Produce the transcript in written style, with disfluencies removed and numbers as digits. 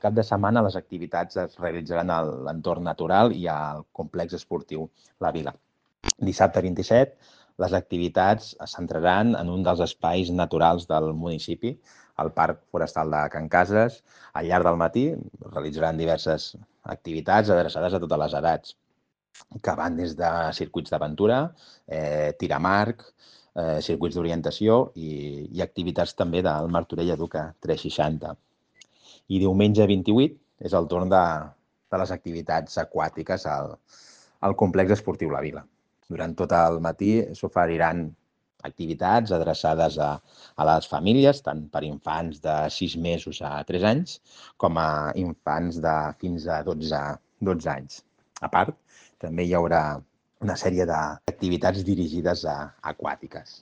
cap de setmana les activitats es realitzaran a l'entorn natural i al complex esportiu La Vila. Dissabte 27, les activitats es centraran en un dels espais naturals del municipi, el Parc Forestal de Can Cases. Al llarg del matí realitzaran diverses activitats adreçades a totes les edats, que van des de circuits d'aventura, tir amb arc, circuits d'orientació i activitats també del Martorell Educa 360. I diumenge 28 és el torn de les activitats aquàtiques al complex esportiu La Vila. Durant tot el matí s'oferiran activitats adreçades a les famílies, tant per infants de 6 mesos a 3 anys, com a infants de fins a 12 anys. A part, també hi haurà una sèrie d'activitats dirigides a aquàtiques.